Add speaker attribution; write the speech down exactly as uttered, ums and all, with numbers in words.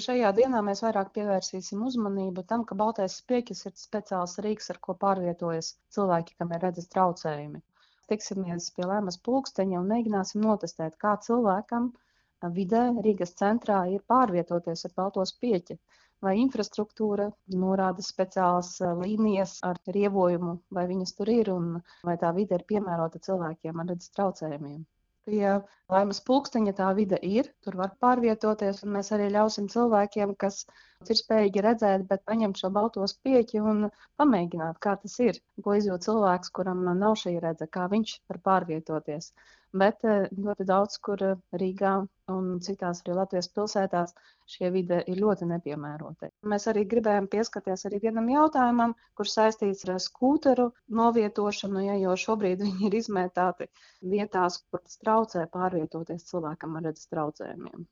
Speaker 1: Šajā dienā mēs vairāk pievērsīsim uzmanību tam, ka baltais spieķis ir speciāls rīks, ar ko pārvietojas cilvēki, kam ir redzes traucējumi. Tiksimies pie Laimas pulksteņa un mēģināsim notestēt, kā cilvēkam vidē Rīgas centrā ir pārvietoties ar balto spieķi. Vai infrastruktūra norāda speciālas līnijas ar rievojumu, vai viņas tur ir, un vai tā vide ir piemērota cilvēkiem ar redzes traucējumiem. Pie Laimas pulksteņa tā vide ir, tur var pārvietoties, un mēs arī ļausim cilvēkiem, kas ir spējīgi redzēt, bet paņemt šo balto spieķi un pamēģināt, kā tas ir, ko izjūt cilvēks, kuram nav šī redze, kā viņš var pārvietoties. Bet ļoti daudz, kur Rīgā un citās arī Latvijas pilsētās šie vide ir ļoti nepiemēroti. Mēs arī gribējām pieskarties arī vienam jautājumam, kurš saistīts ar skūteru novietošanu, ja, jo šobrīd viņi ir izmētāti vietās, kur tas traucē pārvietoties cilvēkam ar redzes traucējumiem.